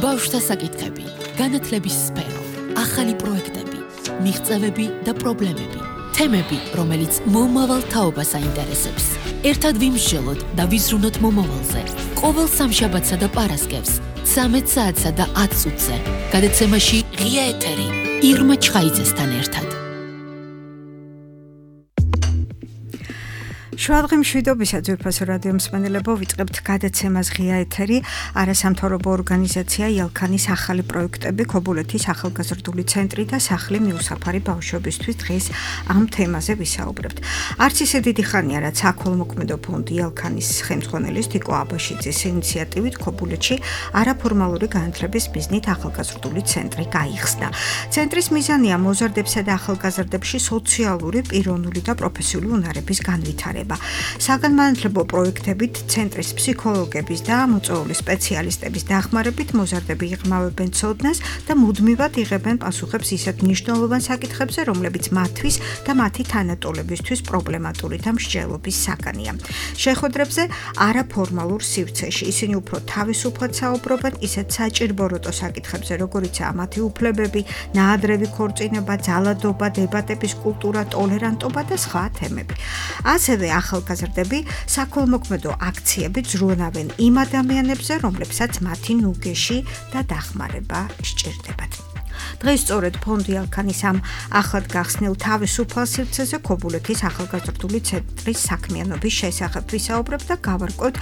ბავშვთა საკითხები, განათლების სფერო, ახალი პროექტები, მიღწევები და პრობლემები, თემები, რომელიც მომავალ თაობას აინტერესებს. ერთად ვიმსჯელოთ და ვიზრუნოთ მომავალზე. ყოველ სამშაბათსა და პარასკევს, 13 საათსა და 10 წუთზე. გადაცემაში ღია ეთერი, ირმა ჩხაიძესთან ერთად. შუადღე მშვიდობისა ძვირფასო რადიო მსმენელებო, ვიწყებთ გადაცემას ღია ეთერი. არასამთავრობო ორგანიზაცია ელქანის ახალი პროექტები, ქობულეთის ახალგაზრდული ცენტრი და სახლი მიუსაფარი ბავშვებისთვის დღეს ამ თემაზე ვისაუბრებთ. არც ისე დიდი ხანია, რაც საქველმოქმედო ფონდი ელქანის ხელმძღვანელის თიკო აბაშიძის ინიციატივით ქობულეთში არაფორმალური განათლების მიზნით ახალგაზრდული ცენტრი გაიხსნა. ცენტრის მიზანია მოზარდებსა და ახალგაზრდებში სოციალური, პიროვნული და პროფესიული უნარების განვითარება. საგანმანათლებლო პროექტებით ცენტრის ფსიქოლოგების და მოწვეული სპეციალისტების დახმარებით მოზარდები იღრმავებენ ცოდნას და მუდმივად იღებენ პასუხებს ისეთ მნიშვნელოვან საკითხებზე, რომლებიც მათთვის და მათი თანატოლებისთვის პრობლემატური და მსჯელობის საგანია. შეხვედრებზე არაფორმალურ სივრცეში ისინი უფრო თავისუფლად საუბრობენ ისეთ საჭირბოროტო საკითხებზე, როგორიცაა მათი უფლებები, ნაადრევი ქორწინება, ძალადობა, დებატების კულტურა, ტოლერანტობა და სხვა თემები. ასევე ახალგაზრდები საქველმოქმედო აქციებით ზრუნავენ იმ ადამიანებზე, რომლებსაც მათი ნუგეში და დახმარება სჭირდებათ. დღეს სწორედ ფონდი ელქანის ამ ახლად გახსნილ თავისუფალ სივრცეზე ქობულეთის ახალგაზრდული ცენტრის საქმიანობის შესახებ ვისაუბრებთ და გავარკვევთ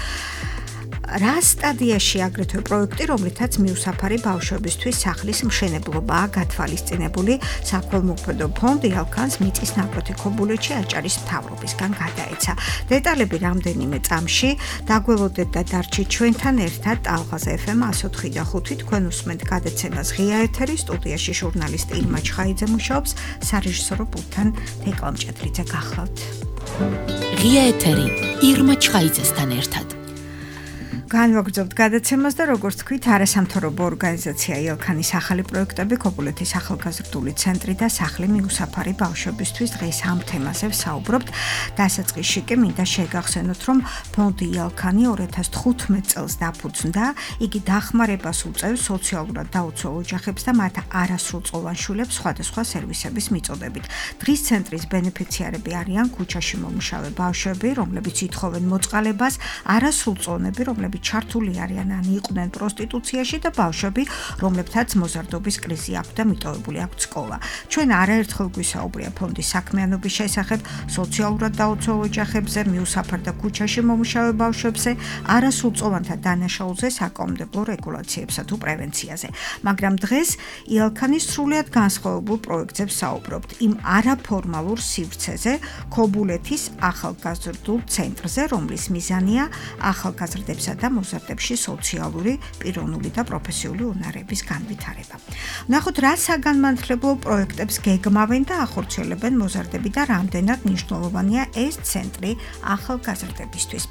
რა სტადიაში აგრეთვე პროექტი, რომლითაც მიუსაფარი ბავშვებისთვის სახლის მშენებლობაა გათვალისწინებული. საქველმოქმედო ფონდი ელქანს მიწის ნაკვეთი ქობულეთში აჭარის მთავრობისგან გადაეცა. დეტალები რამდენიმე წამში დაგველოდეთ და დარჩით ჩვენთან ერთად ტალღაზე FM 104.5 თქვენ უსმენთ გადაცემას ღია ეთერი, სტუდიაში ჟურნალისტი ირმა ჩხაიძე მუშაობს, სარეჟისორო პულტთან თეკლა მჭედლიძე გახლავთ. ღია ეთერი, ირმა ჩხაიძესთან ერთად. განვაგრძობთ გადაცემას და როგორც თქვით, არასამთავრობო ორგანიზაცია ელქანის ახალი პროექტები, ქობულეთის ახალგაზრდული ცენტრი და სახლი მიუსაფარი ბავშვებისთვის დღეს ამ თემაზე ვსაუბრობთ. დასაწყისში კი მინდა შეგახსენოთ, რომ ფონდი ელქანი 2015 წელს დაფუძნდა. იგი დახმარებას უწევს სოციალურად დაუცველ ოჯახებს და მათ არასრულწლოვან შვილებს სხვადასხვა სერვისების მიწოდებით. დღის ცენტრის ბენეფიციარები არიან ქუჩაში მომუშავე ბავშვები, რომლებიც ითხოვენ მოწყალებას, არასრულწლოვნები, რომლებიც ჩართული არიან ან იყვნენ პროსტიტუციაში და ბავშვები, რომლებთაც მოზარდობის კრიზი აქვს და მიტოვებული აქვს სკოლა. ჩვენ არაერთხელ გვისაუბრია ფონდის საქმიანობის შესახებ, სოციალურად დაუცველ ოჯახებზე, მიუსაფარ და ქუჩაში მომუშავე ბავშვებზე, არასრულწლოვანთა დანაშაულზე, საკანონმდებლო რეგულაციებსა თუ პრევენციაზე. მაგრამ დღეს ელქანის სრულიად განსხვავებულ პროექტზე ვსაუბრობთ, იმ არაფორმალურ სივრცეზე, ქობულეთის ახალგაზრდულ ცენტრზე, რომლის მიზანია ახალგაზრდებსა და მოზარდებში სოციალური, პიროვნული და პროფესიული უნარების განვითარება. ნახოთ, რა საგანმანათლებლო პროექტებს გეგმავენ და ახორციელებენ მოზარდები და რამდენად მნიშვნელოვანია ეს ცენტრი ახალგაზრდებისთვის.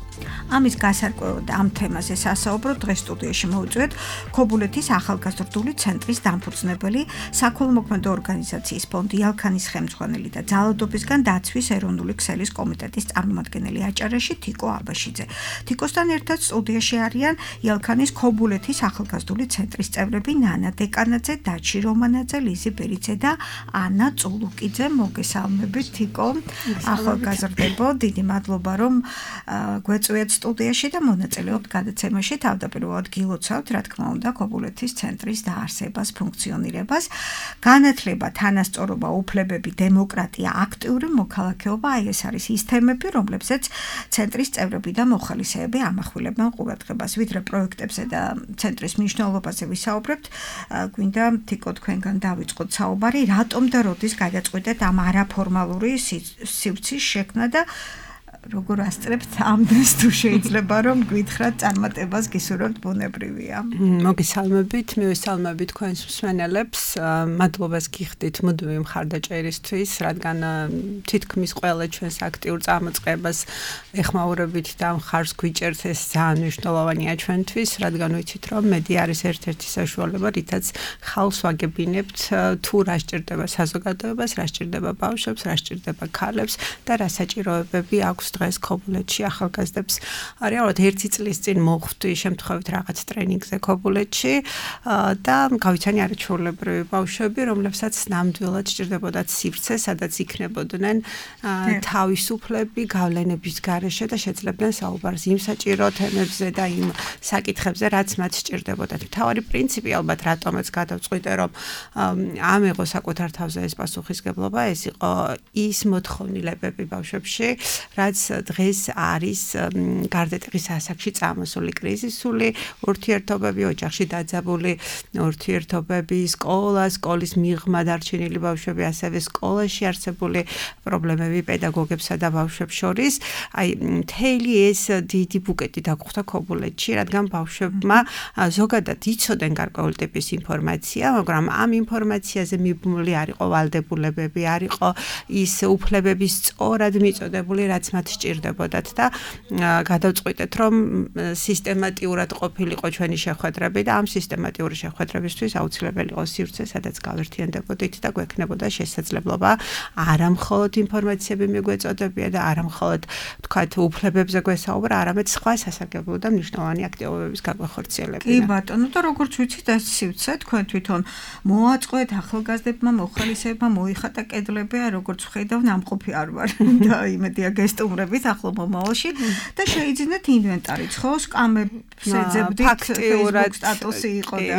ამის გასარკვევად ამ თემაზე სასაუბრო დღეს სტუდიაში მოვიწვიეთ ქობულეთის ახალგაზრდული ცენტრის დამფუძნებელი, საქველმოქმედო ორგანიზაციის ფონდი ელქანის ხელმძღვანელი და ძალადობისგან დაცვის ეროვნული ქსელის კომიტეტის წარმომადგენელი აჭარაში თიკო აბაშიძე. თიკოსთან ერთად სტუდიაში არიან ელქანის ქობულეთის ახალგაზრდული ცენტრის წევრები ნანა დეკანაძე, დაჩი რომანაძე, ლიზი ბერიძე და ანა წულუკიძე. მოგესალმებით თიკო. ახალგაზრდებო, დიდი მადლობა რომ გვეწვიეთ სტუდიაში და მონაწილეობთ გადაცემაში. თავდაპირველად გილოცავთ, რა თქმა უნდა, ქობულეთის ცენტრის დაარსებას, ფუნქციონირებას. განათლება, თანასწორობა, უფლებები, დემოკრატია, აქტიური მოქალაქეობა, აი ეს არის ის თემები, რომლებზეც ცენტრის წევრები და მოხალისეები ამახვილებენ ყურადღებას. ვიდრე პროექტებზე და ცენტრის მნიშვნელობაზე ვისაუბრებთ, გვინდა თიკო თქვენგან დავიწყოთ საუბარი, რატომ და როდის გადაწყვეტეთ ამ არაფორმალური სივრცის შექმნა და როგორ ასწრებთ ამდენს თუ შეიძლება რომ გითხრათ წარმატებას გისურვებთ ბუნებრივია. მოგესალმებით, მივესალმებით თქვენს მსმენელებს. მადლობას გიხდით მუდმივი მხარდაჭერისთვის, რადგან თითქმის ყველა ჩვენს აქტიურ წამოწყებას ეხმაურებით და მხარს გვიჭერთ, ეს ძალიან მნიშვნელოვანია ჩვენთვის, რადგან ვიცით რომ მედია არის ერთ-ერთი საშუალება, რითაც ხალხს ვაგებინებთ თუ რა სჭირდება საზოგადოებას, რა სჭირდება ბავშვებს, რა სჭირდება ქალებს და რა საჭიროებები აქვს გვაქვს დღეს ქობულეთში ახალგაზრდებს რეალურად 1 წლის წინ მოხვდი შემთხვევით რაღაც ტრენინგზე ქობულეთში და გავიცანი არაჩვეულებრივი ბავშვები, რომლებსაც ნამდვილად სჭირდებოდათ სივრცე, სადაც იქნებოდნენ თავისუფლები გავლენების გარეშე და შეძლებდნენ საუბარს იმ საჭირო თემებზე და იმ საკითხებზე, რაც მათ სჭირდებოდათ. მთავარი პრინციპი ალბათ რატომაც გადავწყვიტე, რომ ამიღო საკუთარ თავზე ეს პასუხისგებლობა, ეს იყო ის მოთხოვნილებები ბავშვებში, რაც დღეს არის გარდატეხის ასაკში წამოსული კრიზისული ურთიერთობები, ოჯახში დაძაბული ურთიერთობები, სკოლის მიღმა დარჩენილი ბავშვები, ასევე სკოლაში არსებული პრობლემები პედაგოგებსა და ბავშვებს შორის. აი, მთელი ეს დიდი ბუკეტი დაგხვდა ქობულეთში, რადგან ბავშვებმა ზოგადად იცოდნენ გარკვეული ტიპის ინფორმაცია, მაგრამ ამ ინფორმაციაზე მიბმული არ იყო ვალდებულებები, არ იყო ის უფლებების სწორად მიწოდებული, რაც მათ სჭირდებოდათ და გადავწყვიტეთ, რომ სისტემატიურად ყოფილიყო ჩვენი შეხვედრები და ამ სისტემატიური შეხვედრებისთვის აუცილებელი იყო სივრცე, სადაც გავერთიანდებოდით და გვექნებოდა შესაძლებლობა არა მხოლოდ ინფორმაციები მიგვეწოდებია და არა მხოლოდ თქვათ უფლებებზე გვესაუბრა, არამედ სხვა სასარგებლო და მნიშვნელოვანი აქტივობების გაგვეხორციელებინა. კი ბატონო, და როგორც ვიცით, ეს სივრცე თქვენ თვითონ მოაწყვეთ ახალგაზრდებმა, მოხალისეებმა მოიხატა კედლები, როგორც ვხედავ, ნამყოფი არ ვარ და იმედია გესტუმრებით ახლო მომავალში და შეიძინეთ ინვენტარიც, ხო, სკამებს ეძებდით, Facebook სტატუსი იყო და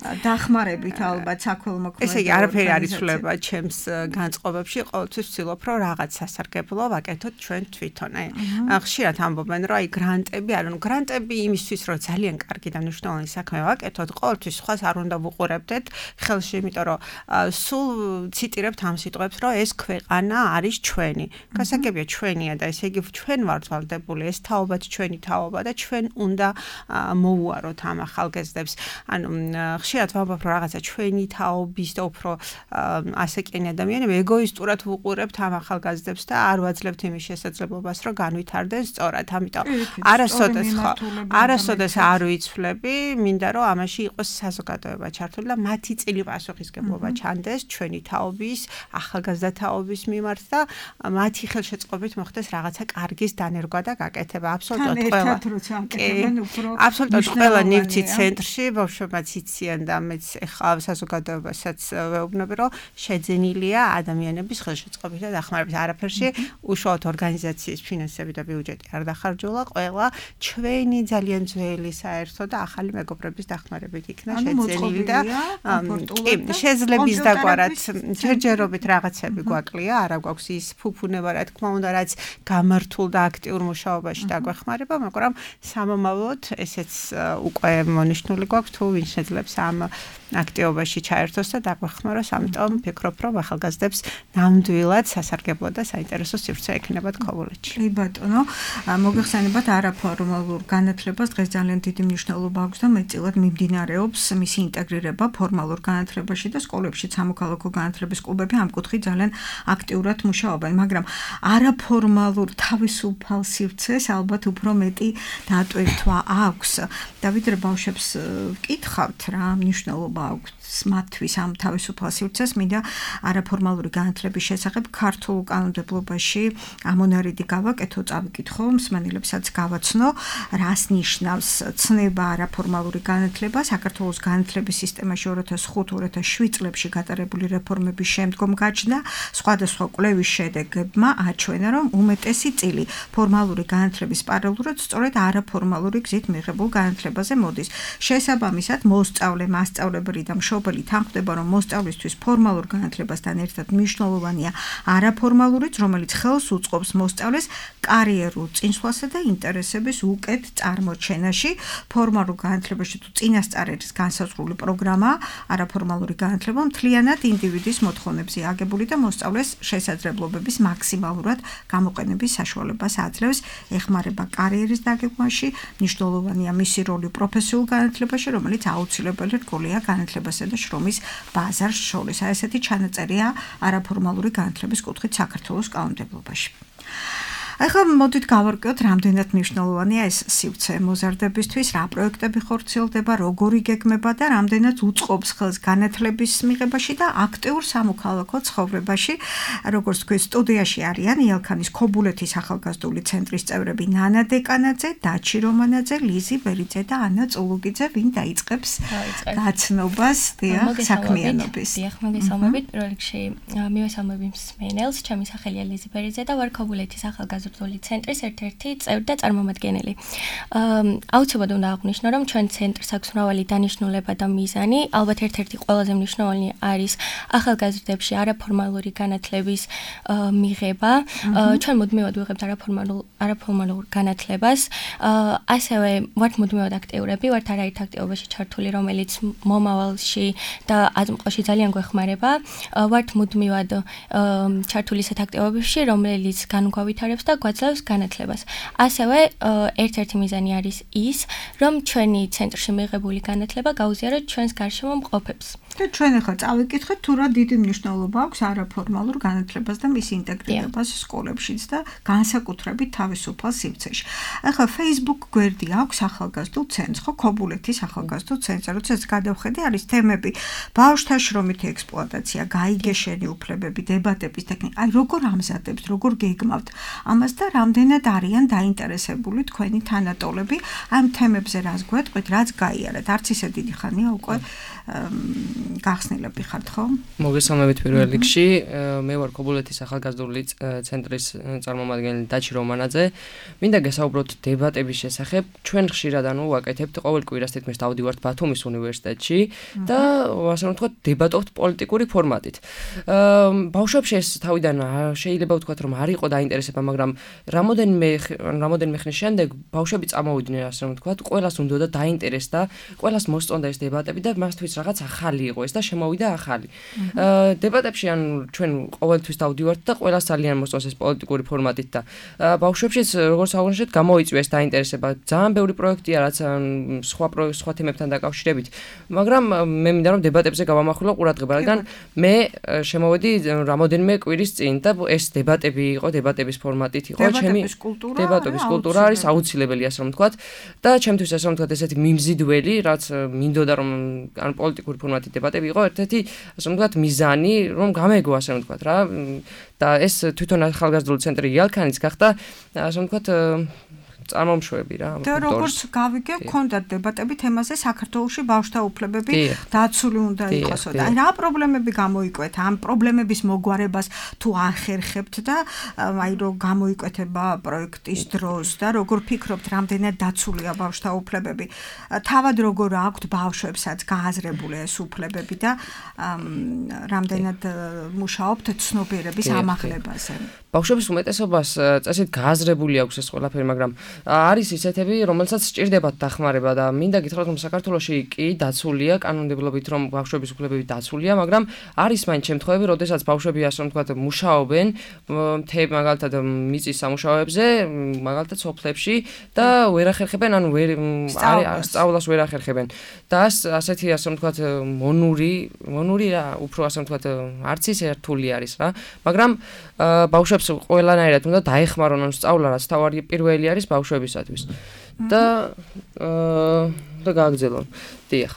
დახმარებით ალბათ საქველმოქმედო. ესე იგი, არაფერი არ იცვლება ჩემს განწყობებში, ყოველთვის ვცდილობ, რომ რაღაც სასარგებლო ვაკეთოთ ჩვენ თვითონ. ხშირად ამბობენ, რომ აი გრანტები, ანუ გრანტები იმისთვის, რომ ძალიან კარგი და მნიშვნელოვანი საქმე ვაკეთოთ, ყოველთვის სხვას არ უნდა ვუყურებდეთ ხელში, იმიტომ რომ სულ ციტირებთ ამ სიტყვებს, რომ ეს ქვეყანა არის ჩვენი. გასაგებია ჩვენია და ესე იგი ჩვენ ვართ ვალდებული, ეს თაობაც ჩვენი თაობა და ჩვენ უნდა მოვუაროთ ამ ახალგაზრდებს. ანუ ხშირად ვამბობ, რომ რაღაცა ჩვენი თაობის და უფრო ასაკიანი ადამიანები ეგოისტურად ვუყურებთ ამ ახალგაზრდებს და არ ვაძლევთ იმის შესაძლებლობას, რომ განვითარდნენ სწორად. ამიტომ არასოდეს არ ვიცვლები, მინდა რომ ამაში იყოს საზოგადოება ჩართული და მათი წილი პასუხისგებლობა ჩანდეს ჩვენი თაობის, ახალგაზრდა თაობის მიმართ და მათი ხელშეწყობით მოხდეს რაღაცა კარგის დანერგვა და გაკეთება. აბსოლუტურად ყველა. აბსოლუტურად ყველა ნივთი ცენტრში ბავშვებმაც იციან და მეც ეხლა საზოგადოებასაც ვეუბნები, რომ შეძენილია ადამიანების ხელშეწყობით და დახმარებით. არაფერში უშუალოდ ორგანიზაციის ფინანსები და ბიუჯეტი არ დახარჯულა, ყველა ჩვენი ძალიან ძველი საერთო და ახალი მეგობრების დახმარებით იქნა შეძენილი და შეძლების დაგვარად ჯერჯერობით რაღაცები გვაკლია, არა გვაქვს ის ფუფუნება, რა თქმა უნდა, რაც გამართულ და აქტიურ მუშაობაში დაგვეხმარება, მაგრამ სამომავლოდ ესეც უკვე მონიშნული გვაქვს, თუ ვინ შეძლებს ამ აქტივობაში ჩაერთოს და დაგვეხმაროს, ამიტომ ვფიქრობ, რომ ახალგაზრდებს ნამდვილად სასარგებლო და საინტერესო სივრცე ექნებათ ქობულეთში. კი ბატონო, მოგეხსენებათ არაფორმალურ განათლებას დღეს ძალიან დიდი მნიშვნელობა აქვს და მეტწილად მიმდინარეობს მისი ინტეგრირება ფორმალურ განათლებაში და სკოლებში სამოქალაქო განათლების კლუბები ამ კუთხით ძალიან აქტიურად მუშაობენ, მაგრამ არაფორმალურ თავისუფალ სივრცეს ალბათ უფრო მეტი დატვირთვა აქვს და ვიდრე ბავშვებს ვკითხავთ რა მნიშვნელობა აქვს მათთვის ამ თავისუფალ სივრცეს, მინდა არაფორმალური განათლების შესახებ ქართულ კანონმდებლობაში ამონარიდი გავაკეთო, წავიკითხო, მსმენელებსაც გავაცნო, რას ნიშნავს ცნება არაფორმალური განათლება საქართველოს განათლების სისტემაში 2005-2007 წლებში გატარებული რეფორმების შემდგომ გაჩნდა სხვადასხვა კვლევის შედეგებმა აჩვენა, რომ უმეტესი წილი ფორმალური განათლების პარალელურად სწორედ არაფორმალური გზით მიღებულ განათლებაზე მოდის. შესაბამისად, მოსწავლე, მასწავლებელი და მშობელი თანხმდება, რომ მოსწავლისთვის ფორმალურ განათლებასთან ერთად მნიშვნელოვანია არაფორმალურიც, რომელიც ხელს უწყობს მოსწავლეს კარიერულ წინსვლასა და ინტერესების უკეთ წარმოჩენაში. ფორმალურ განათლებაში თუ წინასწარ არის განსაზღვრული პროგრამა, არაფორმალური განათლება მთლიანად ინდივიდის მოთხოვნებზე აგებული და მოსწავლეს შესაძლებლობების მაქსიმალურად გამოყენების საშუალებას აძლევს, ეხმარება კარიერის დაგეგმვაში, მნიშვნელოვანია მისი როლი პროფესიულ განათლებაში, რომელიც აუცილებელი რგოლია განათლებასა და შრომის ბაზარს შორის. ესეთი ჩანაწერია არაფორმალური განათლების კუთხით საქართველოს კანონმდებლობაში. ახლა მოდით გავარკვიოთ, რამდენად მნიშვნელოვანია ეს სივრცე მოზარდებისთვის, რა პროექტები ხორციელდება, როგორ იგეგმება და რამდენად უწყობს ხელს განათლების მიღებაში და აქტიურ სამოქალაქო ცხოვრებაში. როგორც თქვი, სტუდიაში არიან იალქანის ქობულეთის ახალგაზრდული ცენტრის წევრები ნანა დეკანაძე, დაჩი რომანაძე, ლიზი ბერიძე და ანა წულუგიძე, ვინ დაიწყებს გაცნობას საქმიანობის. დიახ, მოგესალმებით. პირველ რიგში მივესალმები მსმენელს, ჩემი სახელია ლიზი ბერიძე და ვარ ქობულეთის ახალგაზრდული ცენტრის ერთ-ერთი წევრი და წარმომადგენელი. აუცილებლად უნდა აღვნიშნო, რომ ჩვენ ცენტრს აქვს მრავალი დანიშნულება და მიზანი. ალბათ ერთ-ერთი ყველაზე მნიშვნელოვანი არის ახალგაზრდებში არაფორმალური განათლების მიღება. ჩვენ მუდმივად ვიღებთ არაფორმალურ განათლებას. ასევე ვართ მუდმივად აქტიურები, ვართ არაერთ აქტივობაში ჩართული, რომელიც მომავალში და აზმყოში ძალიან გვეხმარება. ვართ მუდმივად ჩართული ისეთ აქტივობებში, რომელიც განუგავითარებს და გვაძლევს განათლებას. ასევე ერთ-ერთი მიზანი არის ის, რომ ჩვენი ცენტრში მიღებული განათლება გაუზიაროთ ჩვენს გარშემო მყოფებს. და ჩვენ ახლა წავიკითხეთ, თუ რა დიდი მნიშვნელობა აქვს არაფორმალურ განათლებას და მის ინტეგრირებას სკოლებშიც და განსაკუთრებით თავისუფალ სივრცეში. ახლა Facebook გვერდი აქვს ახალგაზრდულ ცენტრს, ხო, ქობულეთის ახალგაზრდულ ცენტრს, როდესაც გადავხედე, არის თემები ბავშვთა შრომითი ექსპლუატაცია, გაიგეშენი უფლებები, დებატების ტექნიკა. აი, როგორ ამზადებთ, როგორ გეგმავთ ამას და რამდენად არიან დაინტერესებული თქვენი თანატოლები ამ თემებზე, რას გვეტყვით, რაც გაიარეთ. არც ისე დიდი ხანია უკვე გახსნილები ხართ, ხო? მოგესალმებით პირველ რიგში. მე ვარ ქობულეთის ახალგაზრდული ცენტრის წარმომადგენელი დაჩი რომანაძე. მინდა გესაუბროთ დებატების შესახებ. ჩვენ ხშირად ვაკეთებთ ყოველ კვირას თითქმის დავდივართ ბათუმის უნივერსიტეტში და ასე რომ ვთქვათ, დებატობთ პოლიტიკური ფორმატით. ბავშვებში ეს თავიდან შეიძლება ვთქვათ, რომ არ იყო დაინტერესება, მაგრამ რამოდენიმე ხნის შემდეგ ბავშვები წამოვიდნენ, ასე რომ ვთქვათ, ყველას უნდა დაინტერესდა, ყველას მოსწონდა ეს დებატები და მასთვის რაღაც ახალი იყო ეს და შემოვიდა ახალი. დებატებში ჩვენ ყოველთვის დავდივართ და ყველას ძალიან მოსწონს ეს პოლიტიკური ფორმატით და ბავშვებშიც როგორც აღნიშნეთ, გამოიწვია ეს დაინტერესება. ძალიან ბევრი პროექტია, რაც სხვა თემებთან დაკავშირებით, მაგრამ მე მინდა რომ დებატებზე გავამახვილო ყურადღება, რადგან მე შემოვედი რამოდენიმე კვირის წინ და ეს დებატები იყო, დებატების ფორმატით იყო, დებატების კულტურა არის აუცილებელი, ასე რომ ვთქვათ, და ჩემთვის ასე რომ ვთქვათ, ესეთი მიმზიდველი, რაც მინდოდა რომ ან პოლიტიკური ფორმატით დებატები იყო ერთ-ერთი, ასე რომ ვთქვათ, მიზანი, რომ გამეგო, ასე რომ ვთქვათ რა, და ეს თვითონ ახალგაზრდული ცენტრი იალქანიც გახდა, ასე რომ ვთქვათ, წარმომშვები რა. და როგორც გავიგე, გქონდათ დებატები თემაზე საქართველოში ბავშვთა უფლებები დაცული უნდა იყოსო. და აი რა პრობლემები გამოიკვეთა, ამ პრობლემების მოგვარებას თუ ახერხებთ და აი რომ გამოიკვეთება პროექტის დროს და როგორ ფიქრობთ, რამდენად დაცულია ბავშვთა უფლებები. თავად როგორ აქვთ ბავშვებსაც გააზრებული ეს უფლებები და რამდენად მუშაობთ ცნობიერების ამაღლებაზე. ბავშვების უმეტესობას წესით გააზრებული აქვს ეს ყველაფერი, მაგრამ არის ისეთები, რომელსაც სჭირდებათ დახმარება და მინდა გითხრათ, რომ საქართველოში კი დაცულია კანონმდებლობით, რომ ბავშვების უფლებები დაცულია, მაგრამ არის მაინც შემთხვევები, როდესაც ბავშვები ასე რომ ვთქვათ, მუშაობენ მაგალითად მიწის სამუშაოებზე, მაგალითად სოფლებში და ვერ ახერხებენ, ანუ სწავლას ვერ ახერხებენ. და ასეთი ასე რომ ვთქვათ, მონური რა, უფრო ასე რომ ვთქვათ, არც ისე რთული არის რა, მაგრამ ბავშვებს ყველანაირად უნდა დაეხმარონ ან სწავლა, რაც თავარი პირველი არის ბავშვებისათვის. და გააგრძელონ. დიახ.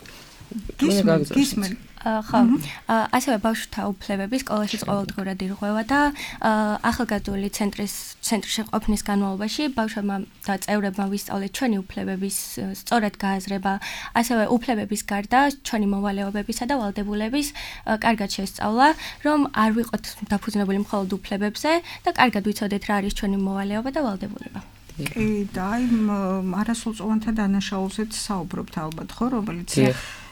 გისმენ. ხო, ასევე ბავშვთა უფლებები სკოლაში ყოველდღურად ირღვევა და ახალგაზრდული ცენტრში ყოფნის განმავლობაში ბავშვებმა და წევრებმა ვისწავლეთ ჩვენი უფლებების სწორად გააზრება, ასევე უფლებების გარდა ჩვენი მოვალეობებისა და ვალდებულების კარგად შესწავლა, რომ არ ვიყოთ დაფუძნებული მხოლოდ უფლებებზე და კარგად ვიცოდეთ რა არის ჩვენი მოვალეობა და ვალდებულება. კი, და აი არასრულწლოვანთა დანაშაულზეც საუბრობთ ალბათ, ხო, რომელიც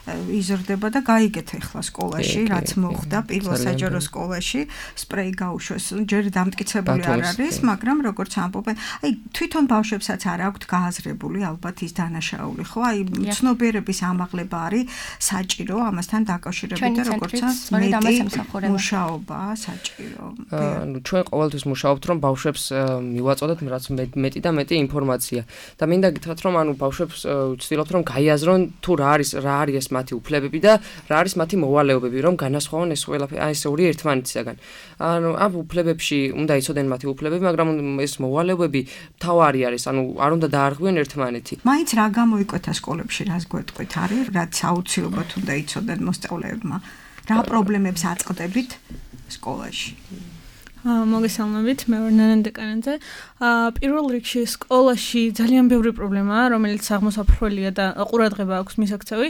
იზრდება და გაიგეთ ახლა სკოლაში, რაც მოხდა პირველ საჯარო სკოლაში, სპრეი გაუშვეს, ჯერ დამტკიცებული არ არის, მაგრამ როგორც ამბობენ, აი თვითონ ბავშვებსაც არ აქვთ გააზრებული ალბათ ის დანაშაული, ხო? აი ცნობიერების ამაღლება არის საჭირო, ამასთან დაკავშირებით და როგორცაც მუშაობა საჭირო. ანუ ჩვენ ყოველთვის მუშაობთ, რომ ბავშვებს მივაწოდოთ რაც მეტი და მეტი ინფორმაცია. და მინდა გითხრათ, რომ ანუ ბავშვებს ვცდილობთ, რომ გაიაზრონ თუ რა არის ეს მათი უფლებები და რა არის მათი მოვალეობები, რომ განასხვავონ ეს ყველაფერი ეს ორი ერთმანეთისაგან. ანუ ამ უფლებებში უნდა იცოდნენ მათი უფლებები, მაგრამ ეს მოვალეობები თავარი არის, ანუ არ უნდა დაარღვიონ ერთმანეთი. მაინც რა გამოიკვეთა სკოლებში, რას გვეტყვით, არის რაც აუცილებლად უნდა იცოდნენ მოსწავლეებმა. რა პრობლემებს აწყდებით სკოლაში? მოგესალმებით, მე ვარ ნანა დეკანაძე. პირველ რიგში სკოლაში ძალიან ბევრი პრობლემაა, რომელიც აღმოსაფრთხოელია და ყურადღება აქვს მისაქცევი.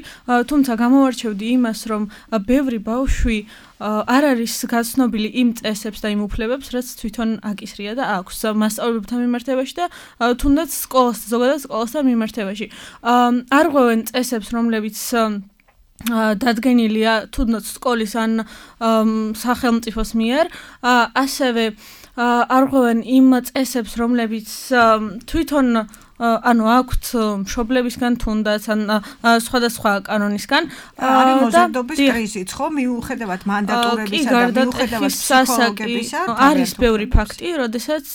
თუმცა გამოვარჩევდი იმას, რომ ბევრი ბავშვი არ არის გაცნობილი იმ წესებს და იმ უფლებებს, რაც თვითონ აკისრია და აქვს მასწავლებელთან მიმართებაში და თუნდაც ზოგადად სკოლასთან მიმართებაში. არ ღვევენ წესებს, რომლებიც დადგენილია თუნდაც სკოლის ან სახელმწიფოს მიერ, ასევე არ ღვევენ იმ წესებს, რომლებიც თვითონ ანუ აქვთ მშობლებისგან თუნდაც ან სხვადასხვა კანონისგან. არის მოზარდობის კრიზისიც, ხო? მიუხედავად მანდატურებისა და მიუხედავად ფსიქოლოგებისა, არის ბევრი ფაქტი, როდესაც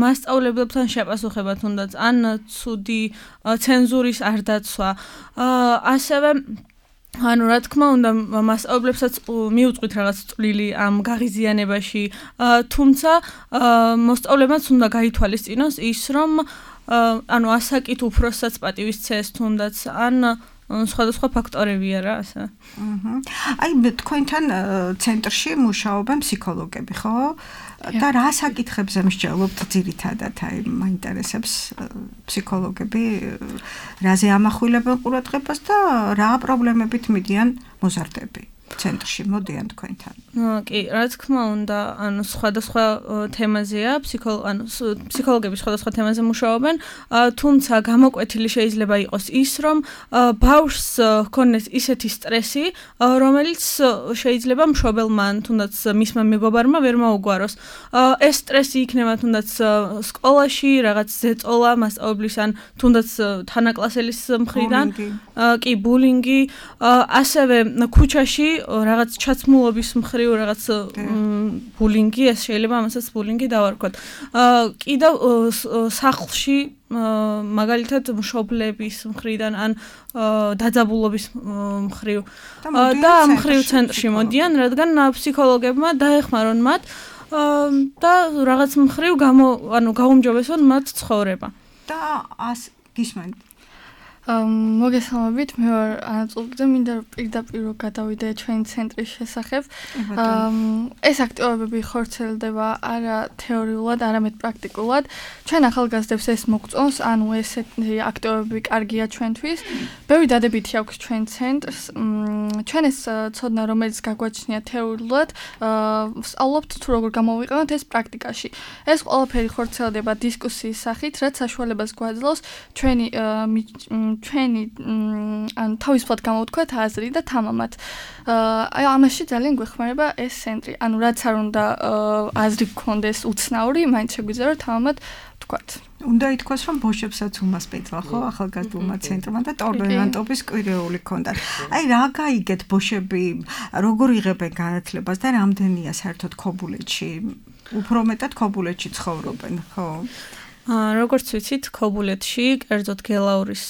მასწავლებლებთან შეპასუხება თუნდაც ან ცუდი ცენზურის არ დაცვა. ასევე ანუ რა თქმა უნდა მასწავლებლებსაც მიუწყვით რაღაც წვლილი ამ გაღიზიანებაში, თუმცა მოსწავლეებმაც უნდა გაითვალისწინოს ის, რომ ანუ ასაკით უფროსსაც პატივისცეს თუნდაც ან სხვადასხვა ფაქტორებია რა ასე. აი თქვენთან ცენტრში მუშაობენ ფსიქოლოგები, ხო? და რა საკითხებზე მსჯელობთ ძირითადად? აი მაინტერესებს ფსიქოლოგები რაზე ამახვილებენ ყურადღებას და რა პრობლემებით მიდიან მოზარდები ცენტრში მოდიან თქვენთან? კი, რა თქმა უნდა, ანუ სხვადასხვა თემაზეა, ფსიქოლოგები სხვადასხვა თემაზე მუშაობენ, თუმცა გამოკვეთილი შეიძლება იყოს ის, რომ ბავშვს ჰქონდეს ისეთი სტრესი, რომელიც შეიძლება მშობელმა ან თუნდაც მისმა მეგობარმა ვერ მოუგვაროს. ეს სტრესი იქნება თუნდაც სკოლაში, რაღაც ზეწოლა მასწავლებლის ან თუნდაც თანაკლასელის მხრიდან, კი, ბულინგი, ასევე ქუჩაში რაღაც ჩაცმულობის მხრივ რაღაც ბულინგი, ეს შეიძლება ამასაც ბულინგი დავარქვათ. კიდევ სახლში მაგალითად მშობლების მხრიდან ან დაძაბულობის მხრივ და ამ მხრივ ცენტრში მოდიან, რადგან ფსიქოლოგებმა დაეხმარონ მათ და რაღაც მხრივ გაუმჯობესონ მათ ცხოვრება. და გისმენთ? მოგესალმებით, მე ვარ ანაწულკიძე, მინდა პირდაპირ გადავიდე ჩვენი ცენტრის შესახებ. ეს აქტივობები ხორციელდება არა თეორიულად, არამედ პრაქტიკულად. ჩვენ ახალგაზრდებს ეს მოგწონს, ანუ ესეთი აქტივობები კარგია ჩვენთვის. ბევრი დადებითი აქვს ჩვენ ცენტრს. ჩვენ ეს ცოდნა, რომელიც გაგვაჩნია თეორიულად, ვსწავლობთ თუ როგორ გამოვიყენოთ ეს პრაქტიკაში. ეს ყველაფერი ხორციელდება დისკუსიის სახით, რაც საშუალებას გვაძლევს ჩვენი ან თავისუფლად გამოვთქვათ აზრი და თამამად. აი ამაში ძალიან გვეხმარება ეს ცენტრი. ანუ რაც არ უნდა აზრი გქონდეს უცნაური, მაინც შეგვიძლია რომ თამამად ვთქვათ. უნდა ითქვას, რომ ბოშებსაც უმასპინძლა, ხო, ახალგაზრდულმა ცენტრმა და ტორნადობის კვირეული ჰქონდათ. აი რა გაიგეთ ბოშები, როგორ იღებენ განათლებას და რამდენია საერთოდ ქობულეთში? უფრო მეტად ქობულეთში ცხოვრობენ, ხო? როგორც ვიცით, ქობულეთში, კერძოდ გელაურის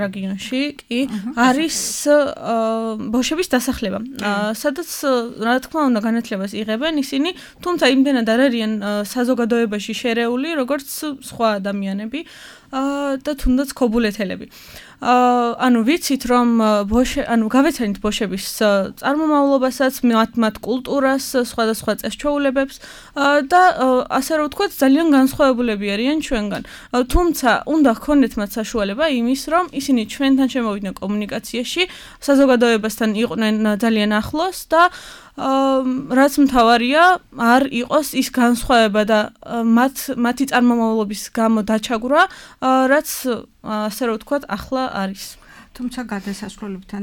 რეგიონში კი არის ბოშების დასახლება. სადაც რა თქმა უნდა განათლებას იღებენ ისინი, თუმცა იმდენად არ არიან საზოგადოებაში შერეული, როგორც სხვა ადამიანები და თუნდაც ქობულეთელები. ანუ ვიცით რომ გავეცანით ბოშების წარმომავლობასაც, მათ კულტურას, სხვადასხვა წესჩვეულებებს და ასე რომ ვთქვათ, ძალიან განსხვავებულები არიან ჩვენგან. თუმცა უნდა ჰქონდეთ მათ საშუალება იმის, რომ ისინი ჩვენთან შემოვიდნენ კომუნიკაციაში, საზოგადოებასთან იყვნენ ძალიან ახლოს და რაც მთავარია, არ იყოს ის განსხვავება და მათი წარმომავლობის გამო დაჩაგვრა, რაც ასე რომ ვთქვათ, ახლა არის. თუმცა გადასასვლელებთან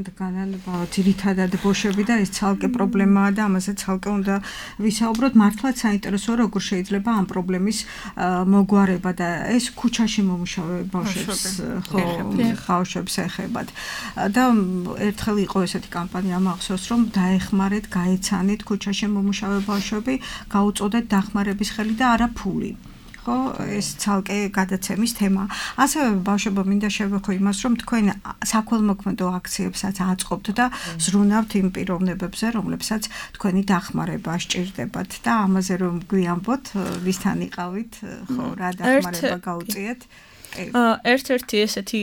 ძირითადად ბოშები და ეს ცალკე პრობლემაა და ამაზე ცალკე უნდა ვისაუბროთ. მართლაც საინტერესოა, როგორ შეიძლება ამ პრობლემის მოგვარება და ეს ქუჩაში მომუშავე ბავშვებს ეხებათ. და ერთხელ იყო ესეთი კამპანია, მახსოვს, რომ დაეხმარეთ, გაეცანით ქუჩაში მომუშავე ბავშვები, გაუწოდეთ დახმარების ხელი და არა ფული. ხო, ეს ცალკე გადაცემის თემა. ასევე ბავშვებო მინდა შევეხო იმას, რომ თქვენ საქველმოქმედო აქციებსაც აწყობთ და ზრუნავთ იმ პიროვნებებზე, რომლებსაც თქვენი დახმარება სჭირდებათ და ამაზე რომ გვიამბოთ, ვისთან იყავით, ხო, რა დახმარება გაუწიეთ? ერთ-ერთი ესეთი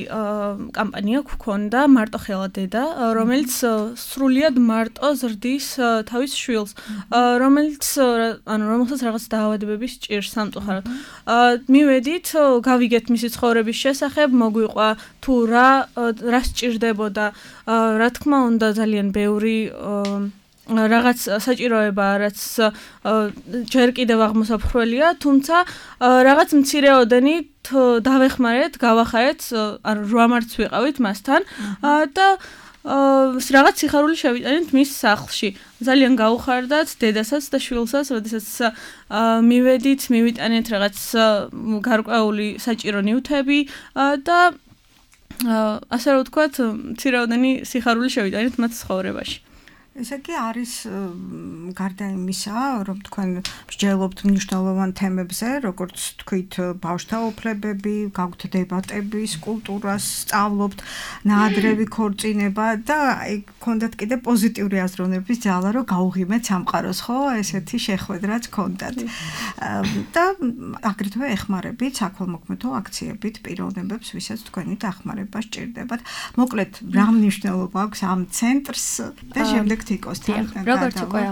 კამპანია გქონდა მარტო ხელა დედა, რომელიც სრულიად მარტო ზრდის თავის შვილს, რომელსაც რაღაც დაავადებების ჭირს სამწუხაროდ. მივედით, გავიგეთ მისი ცხოვრების შესახებ, მოგვიყვა თუ რა სჭირდებოდა, რა თქმა უნდა ძალიან ბევრი რაღაც საჭიროება, რაც ჯერ კიდევ აღმოსაფრველია, თუმცა რაღაც მცირეოდენი დავეხმარეთ, გავახარეთ, ანუ 8 მარტს ვიყავით მასთან და რაღაც სიხარული შევიტანეთ მის სახლში. ძალიან გაუხარდათ დედასაც და შვილსაც, როდესაც მივედით, მივიტანეთ რაღაც გარკვეული საჭირო ნივთები და ასე რომ ვთქვათ, მცირეოდენი სიხარული შევიტანეთ მათ ცხოვრებაში. ესე იგი არის გარდა იმისა, რომ თქვენ მსჯელობთ მნიშვნელოვან თემებზე, როგორც თქვით, ბავშვთა უფლებები, გაქვთ დებატები, კულტურას სწავლობთ, ნაადრევი ქორწინება და გქონდათ კიდე პოზიტიური აზროვნების ძალა, რომ გაუღიმეთ სამყაროს, ხო? ესეთი შეხვედრაც გქონდათ. და აგრეთვე ეხმარებით საქველმოქმედო აქციებით პიროვნებებს, ვისაც თქვენი დახმარება სჭირდებათ. მოკლედ, რა მნიშვნელობა აქვს ამ ცენტრს და შემდეგ როგორც უკვე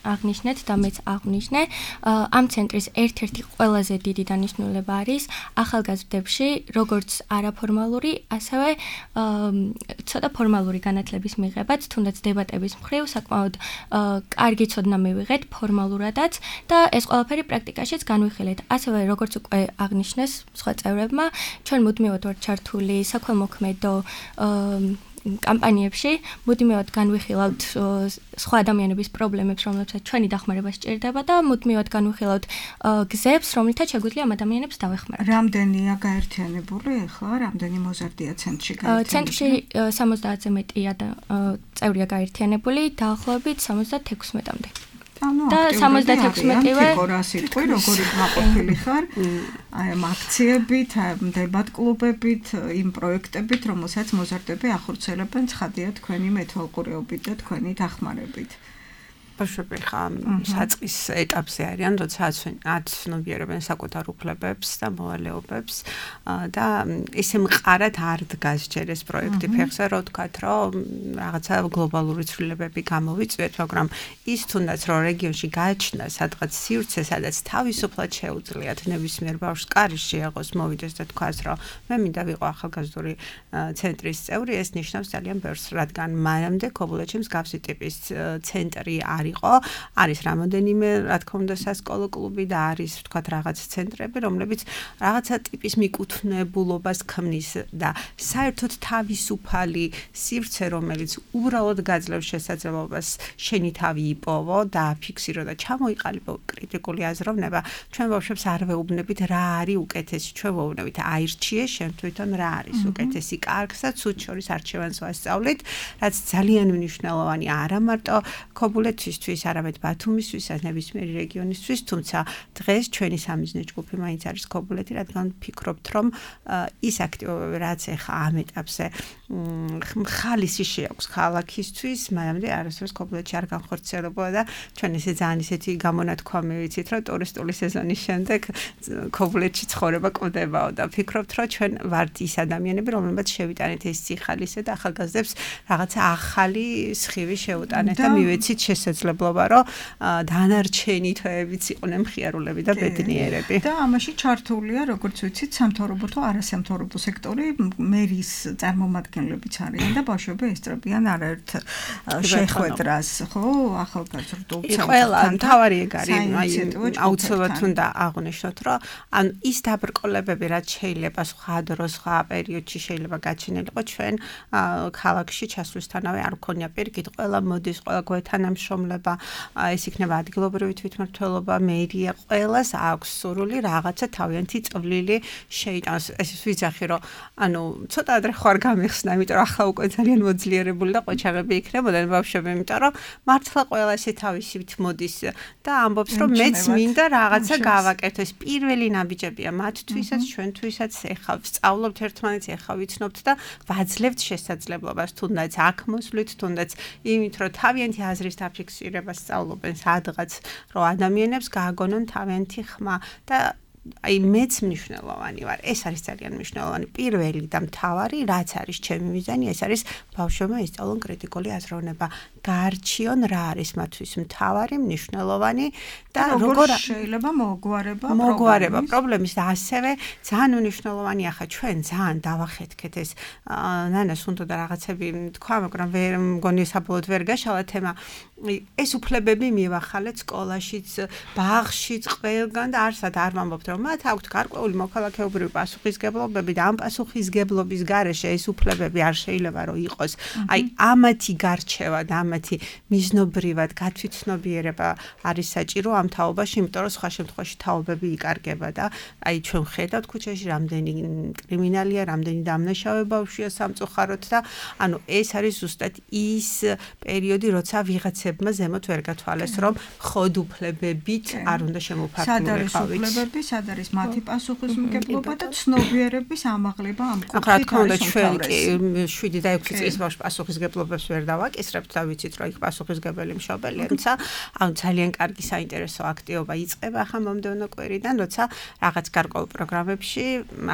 აღნიშნეთ და მეც აღნიშნე, ამ ცენტრის ერთ-ერთი ყველაზე დიდი დანიშნულება არის ახალგაზრდებში როგორც არაფორმალური, ასევე ცოტა ფორმალური განათლების მიღებაც, თუნდაც დებატების მხრივ საკმაოდ კარგი ცოდნა მივიღეთ ფორმალურადაც და ეს ყველაფერი პრაქტიკაშიც განვიხილეთ. ასევე როგორც უკვე აღნიშნეს სხვა წევრებმა, ჩვენ მუდმივად ვართ ჩართული საქველმოქმედო კამპანიებში, მუდმივად განვიხილავთ სხვა ადამიანების პრობლემებს, რომლებსაც ჩვენი დახმარება სჭირდება და მუდმივად განვიხილავთ გზებს, რომლითაც შეგვიძლია ამ ადამიანებს დავეხმაროთ. რამდენია გაერთიანებული ახლა? რამდენი მოზარდია ცენტრში გაერთიანებული? ცენტრში 70-ზე მეტია წევრია გაერთიანებული, დაახლოებით 76-მდე. და 76-მდე სიტყვი, როგორი გაყოფილი ხარ აი ამ აქციებით, დებატ კლუბებით, იმ პროექტებით, რომელსაც მოზარდები ახორციელებენ, ცხადია თქვენი მეთვალყურეობით და თქვენი დახმარებით. ბავშვები ხა საწყის ეტაპზე არიან, როცა აცნობიერებენ საკუთარ უფლებებს და მოვალეობებს და ისე მყარად არ დგას ჯერ ეს პროექტი ფეხზე, რომ ვთქვათ, რომ რაღაცა გლობალური ცვლილებები გამოვიწვიეთ, მაგრამ ის თუნდაც რომ რეგიონში გააჩნდა სადღაც სივრცე, სადაც თავისუფლად შეუძლიათ ნებისმიერ ბავშვს კარის შეაღოს მოვიდეს და თქვას, რომ მე მინდა ვიყო ახალგაზრდული ცენტრის წევრი, ეს ნიშნავს ძალიან ბევრს, რადგან მანამდე ქობულეთში მსგავსი ტიპის ცენტრი არის რამოდენიმე, რა თქმა უნდა, სასკოლო კლუბი და არის, ვთქვათ, რაღაც ცენტრები, რომლებიც რაღაცა ტიპის მიკუთვნებულობას ქმნის და საერთოდ თავისუფალი სივრცე, რომელიც უბრალოდ გაძლევს შესაძლებლობას შენი თავი იპოვო და ფიქსირო და ჩამოიყალიბო კრიტიკული აზროვნება, ჩვენ ბავშვებს არ ვეუბნებით რა არის უკეთესი, ჩვენ ვეუბნებით აირჩიე შენ თვითონ რა არის უკეთესი, კარგსა ცუდ შორის არჩევანს ვასწავლით, რაც ძალიან მნიშვნელოვანი არა მარტო ქობულეთისთვის, არამედ ბათუმისთვის, ნებისმიერი რეგიონისთვის, თუმცა დღეს ჩვენი სამიზნე ჯგუფი მაინც არის ქობულეთი, რადგან ვფიქრობთ, რომ ის აქტივობები, რაც ახლა ამ ეტაპზე ხალისი შეაქვს ქალაქისთვის, მანამდე არასდროს ქობულეთში არ განხორციელებულა და ჩვენ ესე ძალიან ისეთი გამონათქვამი ვიცით, რომ ტურისტული სეზონის შემდეგ ქობულეთში ცხოვრება კვდებაო და ვფიქრობთ, რომ ჩვენ ვართ ის ადამიანები, რომლებიც შევიტანეთ ეს სიხალისე და ახალგაზრდებს რაღაცა ახალი სხივი შევუტანეთ და მივეცით შესაძლებლობა, რომ დანარჩენი თვეებიც იყვნენ მხიარულები და ბედნიერები. და ამაში ჩართულია, როგორც ვიცით, სამთავრობო თუ არასამთავრობო სექტორი, მერის წარმომადგენლებიც არიან და ბავშვები ესწრებიან არაერთ შეხვედრას, ხო, ახალგაზრდულ ცენტრთან. ყველა მთავარი ეგ არის, აუცილებლად უნდა აღვნიშნოთ, რომ ან ის დაბრკოლებები, რაც შეიძლება სხვა დროს, სხვა პერიოდში შეიძლება გაჩენილიყო ჩვენ ქალაქში ჩასვლისთანავე არ ქონია პირიქით, ყველა მოდის, ყველა გვეთანამშრომლება ხელმძღვანელობა, ეს იქნება ადგილობრივი თვითმმართველობა, მერია, ყველას აქვს სურვილი რაღაცა თავიანთი წვლილი შეიტანოს. ეს ვიცახი რომ ანუ ცოტა ადრე ხარ გამიხსნა, იმიტომ რომ ახლა უკვე ძალიან მოძლიერებული და ყოჩაღები იქნებოდნენ ბავშვები, იმიტომ რომ მართლა ყველა ესე თავისივით მოდის და ამბობს რომ მეც მინდა რაღაცა გავაკეთო. ეს პირველი ნაბიჯებია მათთვისაც, ჩვენთვისაც, ეხლა ვსწავლობთ ერთმანეთს, ეხლა ვიცნობთ და ვაძლევთ შესაძლებლობას, თუნდაც აქ მოსვლით, თუნდაც იმით რომ თავიანთი აზრის დაფიქსირებას სწავლობენ სადღაც, რომ ადამიანებს გააგონონ თავიანთი ხმა და აი მეც მნიშვნელოვანი ვარ. ეს არის ძალიან მნიშვნელოვანი. პირველი და მთავარი, რაც არის ჩემი მიზანი, ეს არის ბავშვებმა ისწავლონ კრიტიკული აზროვნება. გაარჩიონ რა არის მათთვის მთავარი, მნიშვნელოვანი და როგორ შეიძლება მოგვარება პრობლემის და ასევე ძალიან მნიშვნელოვანია ხა ჩვენ ძალიან დავახეთქეთ ეს ნანას უნდა და რაღაცები თქვა, მაგრამ ვერ მგონი საბოლოოდ ვერ გაშალა თემა. ეს უფლებები მივახალეთ სკოლაშიც, ბაღშიც, ყველგან და არსად არ ვამბობთ რომ მათ აქვთ გარკვეული მოქალაქეობრივი პასუხისგებლობები და ამ პასუხისგებლობის გარეშე ეს უფლებები არ შეიძლება რომ იყოს. აი ამათი გარჩევა და ამათი მიზნობრივად გათვითცნობიერება არის საჭირო ამ თაობაში, იმიტომ რომ სხვა შემთხვევაში თაობები იკარგება და აი ჩვენ ხედავთ ქუჩაში რამდენი კრიმინალია, რამდენი დამნაშავე ბავშვია სამწუხაროდ და ანუ ეს არის ზუსტად ის პერიოდი, როცა ვიღაცებმა ზემოთ ვერ გათვალეს, რომ ხოდ უფლებებით არ უნდა შემოფარგლულიყავით. სად არის მათი პასუხისმგებლობა და ცნობიერების ამაღლება ამ კუთხით. რა თქმა უნდა, ჩვენ კი 7 და 6 წლის ბავშვს პასუხისგებლობებს ვერ დავაკისრებთ და ვიცით, რომ იქ პასუხისგებელი მშობელია, თუმცა ანუ ძალიან კარგი საინტერესო აქტივობა იწყება ახლა მომდევნო კვირიდან, როცა რაღაც გარკვეულ პროგრამებში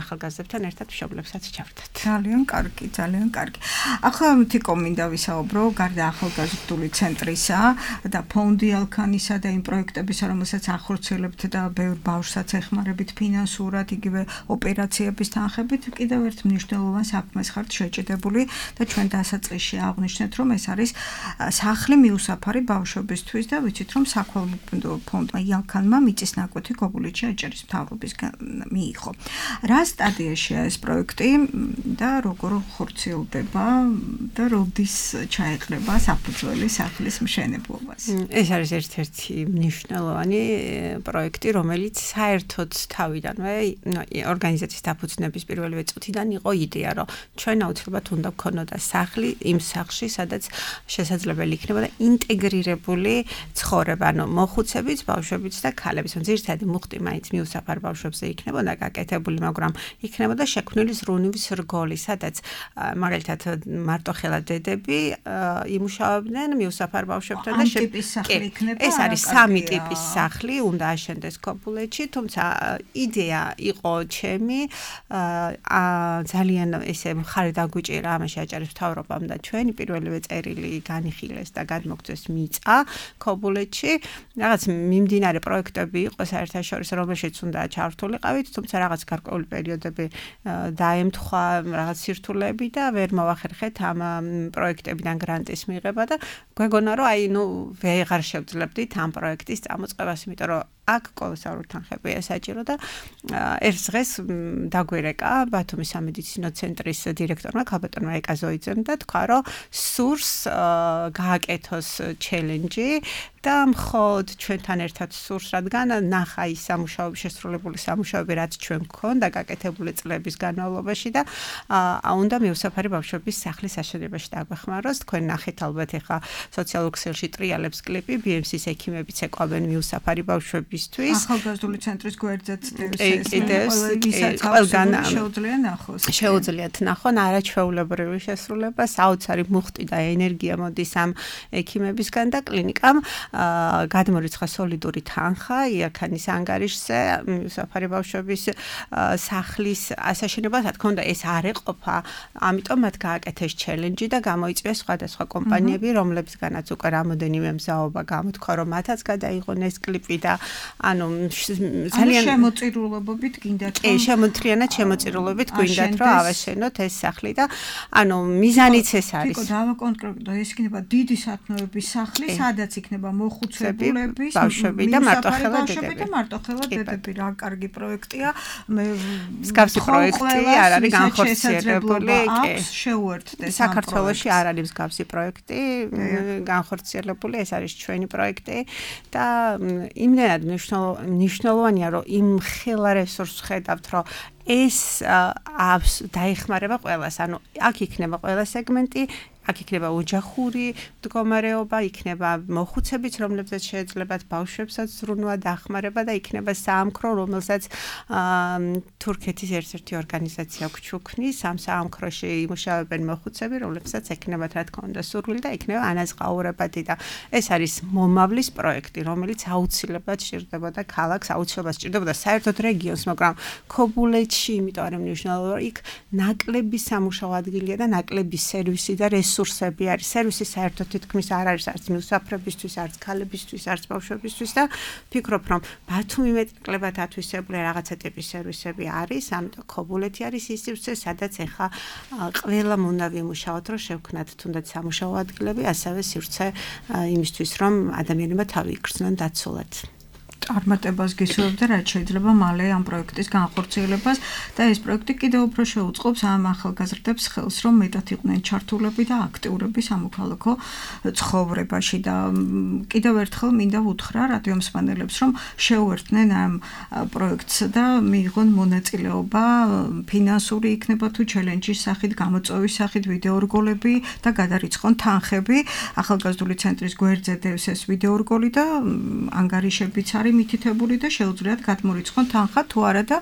ახალგაზრდებთან ერთად მშობლებსაც ჩავდათ. ძალიან კარგი, ძალიან კარგი. ახლა თიკო მინდა ვისაუბრო გარდა ახალგაზრდული ცენტრისა და ფონდი ალქანისა და იმ პროექტებისა, რომელსაც ახორციელებთ და ბევრ ბავშვსაც ეხმარებით ფინანსურად, იგივე ოპერაციების თანხებით, კიდევ ერთ მნიშვნელოვან საქმეს ხართ შეჭედებული და ჩვენ დასაწყისში აღვნიშნეთ, რომ ეს არის სახლი მიუსაფარი ბავშვებისთვის და ვიცით, რომ საქველმოქმედო ფონდმა იალქანმა მიწის ნაკვეთი გოგულეთში აჭარის მთავრობისგან მიიღო. რა სტადიაშია ეს პროექტი და როგორ ხორციელდება და როდის ჩაეყრება საფუძველი სახლის მშენებლობას? ეს არის ერთ-ერთი მნიშვნელოვანი პროექტი, რომელიც საერთოდ თავიდანვე ორგანიზაციის დაფუძნების პირველივე წუთიდან იყო იდეა, რომ ჩვენ აუცილებლად უნდა გქონოდა სახლი იმ სახლში, სადაც შესაძლებელი იქნებოდა ინტეგრირებული ცხოვრება, ანუ მოხუცებიც, ბავშვებიც და ქალებიც. ძირითადი მუხტი მაინც მიუსაფარ ბავშვებზე იქნებოდა გაკეთებული, მაგრამ იქნებოდა შექმნილი ზრუნვის რგოლი, სადაც მაგალითად მარტოხელა დედები იმუშავებდნენ მიუსაფარ ბავშვებთან და ეს არის 3 ტიპის სახლი, უნდა აშენდეს ქობულეთში, თუმცა იდეა იყო ჩემი, ძალიან ესე მხარი დაგვიჭირა ამაში აჭარის მთავრობამ და ჩვენი პირველივე წერილი განიხილეს და გადმოგწეს მიწა ქობულეთში. რაღაც მიმდინარე პროექტები იყო საერთაშორისო, რომელშიც უნდა ჩართულიყავით, თუმცა რაღაც გარკვეული პერიოდები დაემთხვა რაღაც სირთულეები და ვერ მოვახერხეთ ამ პროექტებიდან გრანტის მიღება და გვეგონა რომ აი ნუ ვეღარ შევძლებდით ამ პროექტის წამოწყებას, იმიტომ რომ აქ კოლოსალური თანხებია საჭირო და ერთ დღეს დაგვირეკა ბათუმის სამედიცინო ცენტრის დირექტორმა ქალბატონმა ეკაზოიძემ და თქვა რომ სურს გააკეთოს ჩელენჯი და მხოლოდ ჩვენთან ერთად სურს, რადგან ნახა ის სამუშაოები, შესრულებული სამუშაოები, რაც ჩვენ გქონდა გაკეთებული წლების განმავლობაში და უნდა მიუსაფარი ბავშვების სახლის აშენებაში დაგვეხმაროს. თქვენ ნახეთ ალბათ ახლა სოციალურ ქსელში ტრიალებს კლიპი, BMC-ის ექიმებიც ეკავენ მიუსაფარი ბავშვებისთვის. ახალგაზრდული ცენტრის გვერდზეც ყველგან შეუძლიათ ნახონ არაჩვეულებრივი შესრულება, საოცარი მუხტი და ენერგია მოდის ამ ექიმებისგან და კლინიკამ გადმორიცხა სოლიდური თანხა იაქანის ანგარიშზე მიუსაფარი ბავშვების სახლის ასაშენებას. რა თქმა უნდა, ეს არ ეყოფა, ამიტომ მათ გააკეთეს ჩელენჯი და გამოიწვიეს სხვადასხვა კომპანიები, რომლებსგანაც უკვე რამოდენიმე მზაობა გამოთქვა, რომ მათაც გადაიღონ ეს კლიპი და ანუ ძალიან შემოწირულობებით გინდათ რომ შემოთრიანად შემოწირულობით გვინდათ რომ ავაშენოთ ეს სახლი და ანუ მიზანიც ეს არის. თიკო დავაკონკრეტო ეს იქნება დიდი სათნოების სახლი, სადაც იქნება მოხუცებულების ბავშვები და მარტოხელა დედები. რა კარგი პროექტია. მსგავსი პროექტი არ არის განხორციელებული. შეუერთდეს საქართველოში არ არის მსგავსი პროექტი განხორციელებული, ეს არის ჩვენი პროექტი და იმდენად მნიშვნელოვანია რომ იმ ხელა რესურსს ხედავთ რომ ეს დაეხმარება ყველას, ანუ აქ იქნება ყველა სეგმენტი, აქ იქნება ოჯახური მდგომარეობა, იქნება მოხუცებიც, რომლებსაც შეეძლებათ ბავშვებსაც ზრუნვა დახმარება და იქნება საამქრო, რომელსაც თურქეთის ერთ-ერთი ორგანიზაცია გვჩუქნის, ამ საამქროში იმუშავებენ მოხუცები, რომლებსაც ექნებათ რა თქმა უნდა სურვილი და იქნება ანაზღაურებადი და ეს არის მომავლის პროექტი, რომელიც აუცილებლად სჭირდებოდა ქალაქს, აუცილებლად სჭირდებოდა საერთოდ რეგიონს, მაგრამ ქობულეთში, იმიტომ არის მნიშვნელოვანი, იქ ნაკლები სამუშაო ადგილია და ნაკლები სერვისი და რესურსები არის. სერვისი საერთოდ თითქმის არ არის არც მუსაფრებისთვის, არც ქალებისთვის, არც ბავშვებისთვის და ფიქრობ რომ ბათუმი მეტნაკლებად ათვისებული რაღაცა ტიპის სერვისები არის, ამიტომ ქობულეთი არის ის სივრცე, სადაც ეხა ყველა უნდა ვიმუშაოთ, რომ შევქნათ თუნდაც სამუშაო ადგილები, ასევე სივრცე იმისთვის, რომ ადამიანებმა თავი იგრძნონ დაცულად. წარმატებას გისურვებთ და რაც შეიძლება მალე ამ პროექტის განხორციელებას და ეს პროექტი კიდევ უფრო შეუწყობს ამ ახალგაზრდებს ხელს, რომ მეტად იყვნენ ჩართულები და აქტიურები სამოქალაქო ცხოვრებაში და კიდევ ერთხელ მინდა ვუთხრა რადიო მსმენელებს, რომ შეუერთდნენ ამ პროექტს და მიიღონ მონაწილეობა ფინანსური იქნება თუ ჩელენჯის სახით, გამოწვევის სახით, ვიდეორგოლები და გადარიცხონ თანხები. ახალგაზრდული ცენტრის გვერდზე დევს ეს ვიდეორგოლი და ანგარიშებიც არის მითითებული და შეუძლიათ გადმორიცხონ თანხა თუ არა და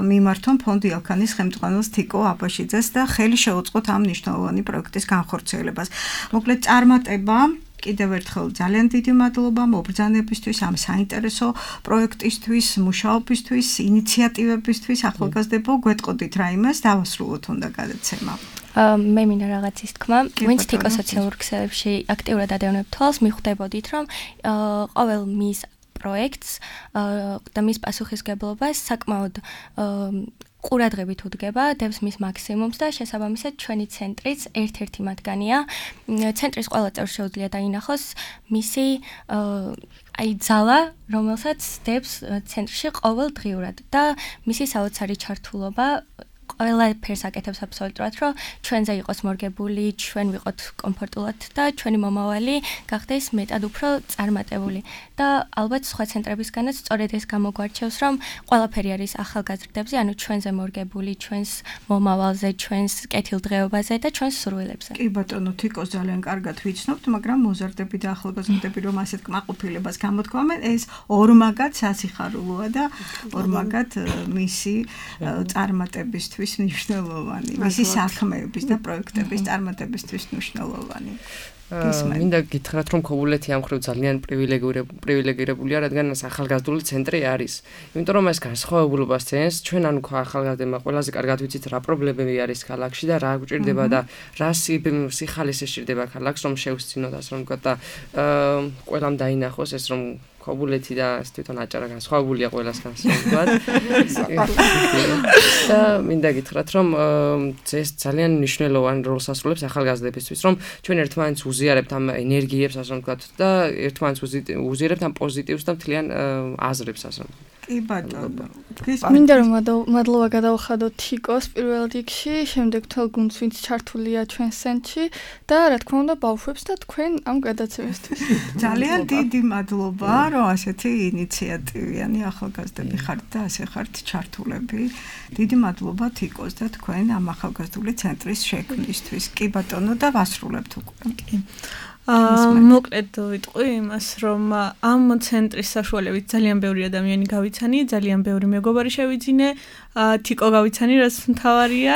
მიმართონ ფონდი ალქანის ხელმძღვანელს თიკო აბაშიძეს და ხელი შეუწყოთ ამ მნიშვნელოვანი პროექტის განხორციელებას. მოკლედ წარმატება კიდევ ერთხელ ძალიან დიდი მადლობა მობრძანებისთვის, ამ საინტერესო პროექტისთვის, მუშაობისთვის, ინიციატივებისთვის. ახალგაზრდებო, გვეტყოდით რაიმეს დავასრულოთ უნდა გადაცემა. მე მინდა რაღაცის თქმა, ვინც თიკო სოციალურ ქსელებში აქტიურად ადევნებთ თვალს, მიხვდებოდით რომ ყოველ მის პროექტს და მის პასუხისგებლობას საკმაოდ ყურადღებით უდგება, დევს მის მაქსიმუმს და შესაბამისად ჩვენი ცენტრიც ერთ-ერთი მათგანია. ცენტრის ყველა წევრს შეუძლია დაინახოს მისი ძალა, რომელსაც დევს ცენტრში ყოველდღიურად და მისი საოცარი ჩართულობა ყველაფერს აკეთებს აბსოლუტურად, რომ ჩვენზე იყოს მორგებული, ჩვენ ვიყოთ კომფორტულად და ჩვენი მომავალი გახდეს მეტად უფრო წარმატებული. და ალბათ სხვა ცენტრებისგანაც სწორედ ეს გამოგვარჩევს, რომ ყველაფერი არის ახალგაზრდებზე, ანუ ჩვენზე მორგებული, ჩვენს მომავალზე, ჩვენს კეთილდღეობაზე და ჩვენს სურვილებზე. კი ბატონო, თიკოს ძალიან კარგად ვიცნობთ, მაგრამ მოზარდები და ახალგაზრდები რომ ასეთ კმაყოფილებას გამოთქვამენ, ეს ორმაგად სასიხარულოა და ორმაგად მისი წარმატებისთვის მნიშვნელოვანი, მისი საქმეების და პროექტების წარმატებისთვის მნიშვნელოვანი. მინდა გითხრათ, რომ ქობულეთი ამ ხრივ ძალიან პრივილეგირებულია, რადგან ახალგაზრდული ცენტრი არის. იმიტომ რომ ეს განსხვავებულობას ცენს, ჩვენ ანუ ახალგაზრდებმა ყველაზე კარგად ვიცით რა პრობლემები არის ქალაქში და რა გვჭირდება და რა სიხალისე სჭირდება ქალაქს, რომ შევსწინოთ, ასე რომ ვთქვათ და ყველამ დაინახოს ეს რომ ქობულეთი და ეს თვითონ აჭარა განსხვავებულია ყველასგან, ასე ვთქვათ. და მინდა გითხრათ, რომ ეს ძალიან მნიშვნელოვანი როლს ასრულებს ახალგაზრდებისთვის, რომ ჩვენ ერთმანეთს უზიარებთ ამ ენერგიებს, ასე ვთქვათ, და ერთმანეთს უზიარებთ ამ პოზიტივს და მთლიან აზრებს, ასე ვთქვათ. კი ბატონო. მინდა რომ მადლობა გადავხადოთ თიკოს პირველ რიგში, შემდეგ თელ გუნდს, ვინც ჩართულია ჩვენ ცენტრში და რა თქმა უნდა ბავშვებს და თქვენ ამ გადაცემისთვის. ძალიან დიდი მადლობა, რომ ასეთი ინიციატივიანი ახალგაზრდები ხართ და ასე ხართ ჩართულები. დიდი მადლობა თიკოს და თქვენ ამ ახალგაზრდული ცენტრის შექმნისთვის. კი ბატონო და ვასრულებთ უკვე. კი. მოკლედ ვიტყვი იმას, რომ ამ ცენტრის საშუალებით ძალიან ბევრი ადამიანი გავიცანი, ძალიან ბევრი მეგობარი შევიძინე, თიკო გავიცანი, რაც მთავარია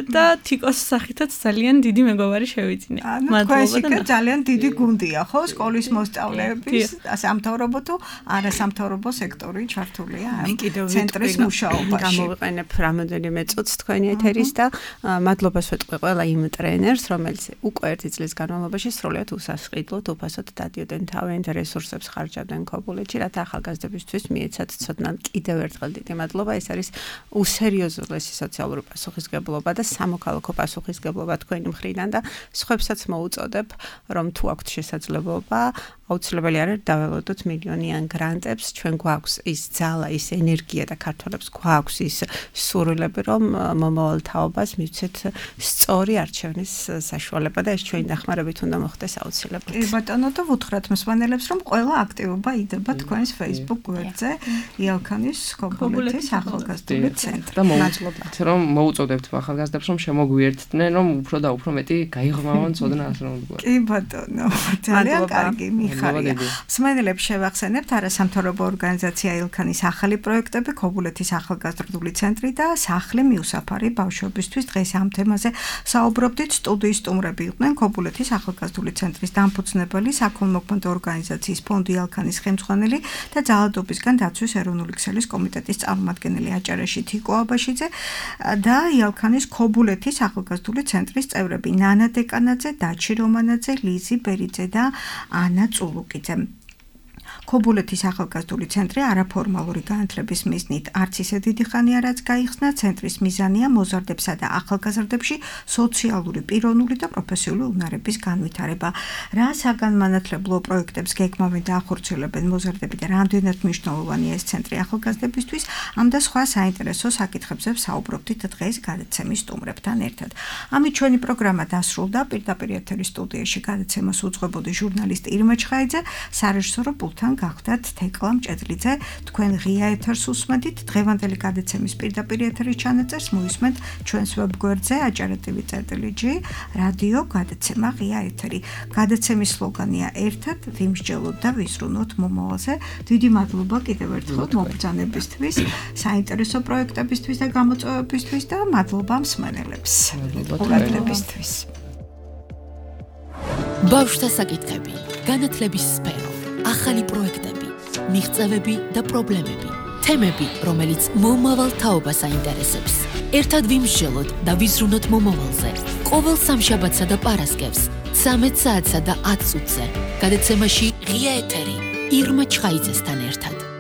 და თიკოს სახითაც ძალიან დიდი მეგობარი შევიძინე. მადლობა და ძალიან დიდი გუნდია, ხო? სკოლის მოსწავლეების, სამთავრობო თუ არასამთავრობო სექტორი ჩართულია ამ ცენტრის მუშაობაში. გამოვიყენებ რამოდენიმე წუთს თქვენი ეთერის და მადლობას ვეტყვი ყველა იმ ტრენერს, რომელიც უკვე 1 წლის განმავლობაში სრულიად უსასყიდლოდ უფასოდ დადიოდნენ თავიანთ რესურსებს ხარჯავდნენ ქობულეთში, რათა ახალგაზრდებისთვის მიეცათ ცოდნა. კიდევ ერთხელ დიდი მადლობა. ეს არის უსერიოზულესი სოციალური პასუხისმგებლობა და სამოქალაქო პასუხისმგებლობა თქვენი მხრიდან და სხვებსაც მოუწოდებ, რომ თუ აქვთ შესაძლებლობა, აუცილებელი არის დაველოდოთ მილიონიან გრანტებს, ჩვენ გვაქვს ის ძალა, ის ენერგია და ქართველებს გვაქვს ის სურვილები, რომ მომავალ თაობას მივცეთ სწორი არჩევნის საშუალება და ეს ჩვენი დახმარებით უნდა მოხდეს აუცილებლად. ბატონო და ვუთხრათ მსმენელებს, რომ ყველა აქტივობა იდება თქვენს Facebook გვერდზე იალქანის ქობულეთის ახალგაზრდული ცენტრი. და მოვუწოდეთ, რომ მოუწოდებთ ახალგაზრდებს, რომ შემოგვიერთდნენ, რომ უფრო და უფრო მეტი გაიღრმავონ ცოდნა ასე რომ ვთქვა. კი ბატონო, ძალიან კარგი მიხარია. მსმენელებს შევახსენებთ არასამთავრობო ორგანიზაცია იალქანის ახალი პროექტები, ქობულეთის ახალგაზრდული ცენტრი და სახლი მიუსაფარი ბავშვებისთვის. დღეს ამ თემაზე საუბრობდით. სტუდიის სტუმრები იყვნენ ქობულეთის ახალგაზრდული ცენტრის დამფუძნებელი, საქველმოქმედო ორგანიზაციის ფონდი იალქანის ხელმძღვანელი და ძალადობისგან დაცვის ეროვნული ქსელის კომიტეტის წარმომადგენელი აჭარაში თიკო აბაშიძე და იალქანის ქობულეთის ახალგაზრდული ცენტრის წევრები ნანა დეკანაძე, დაჩი რომანაძე, ლიზი ბერიძე და ანა წულუკიძე. ქობულეთის ახალგაზრდული ცენტრი არაფორმალური განათლების მიზნით არც ისე დიდი ხანია რაც გაიხსნა. ცენტრის მიზანია მოზარდებსა და ახალგაზრდებში სოციალური, პიროვნული და პროფესიული უნარების განვითარება. რა საგანმანათლებლო პროექტებს გეგმავენ და ახორციელებენ მოზარდები და რამდენად მნიშვნელოვანია ეს ცენტრი ახალგაზრდებისთვის, ამ და სხვა საინტერესო საკითხებზე ვსაუბრობდით დღეს გადაცემის სტუმრებთან ერთად. ამით ჩვენი პროგრამა დასრულდა. პირდაპირ ეთერის სტუდიაში გადაცემას უძღვებოდი ჟურნალისტი ირმა ჩხაიძე, სარეჟისორო პულტთან გახდათ თეკლა მჭედლიძე. თქვენ ღია ეთერს უსმენთ. დღევანდელი გადაცემის პირდაპირ ეთერის ჩანაწერს მოისმენთ ჩვენს ვებგვერდზე acara.tv.g რადიო გადაცემა ღია ეთერი. გადაცემის სლოგანია ერთად ვიმსჯელოთ და ვიზრუნოთ მომავალზე. დიდი მადლობა კიდევ ერთხელ მობრძანებისთვის, საინტერესო პროექტებისთვის და გამოწვევებისთვის და მადლობა მსმენელებს. ყურადღებისთვის. ბავშვთა საკითხები, განათლების სფერო, ახალი პროექტები, მიღწევები და პრობლემები, თემები, რომელიც მომავალ თაობას აინტერესებს. ერთად ვიმსჯელოთ და ვიზრუნოთ მომავალზე. ყოველ სამშაბათსა და პარასკევს 13 საათსა და 10 წუთზე. გადაცემაში ღია ეთერი ირმა ჩხაიძესთან ერთად.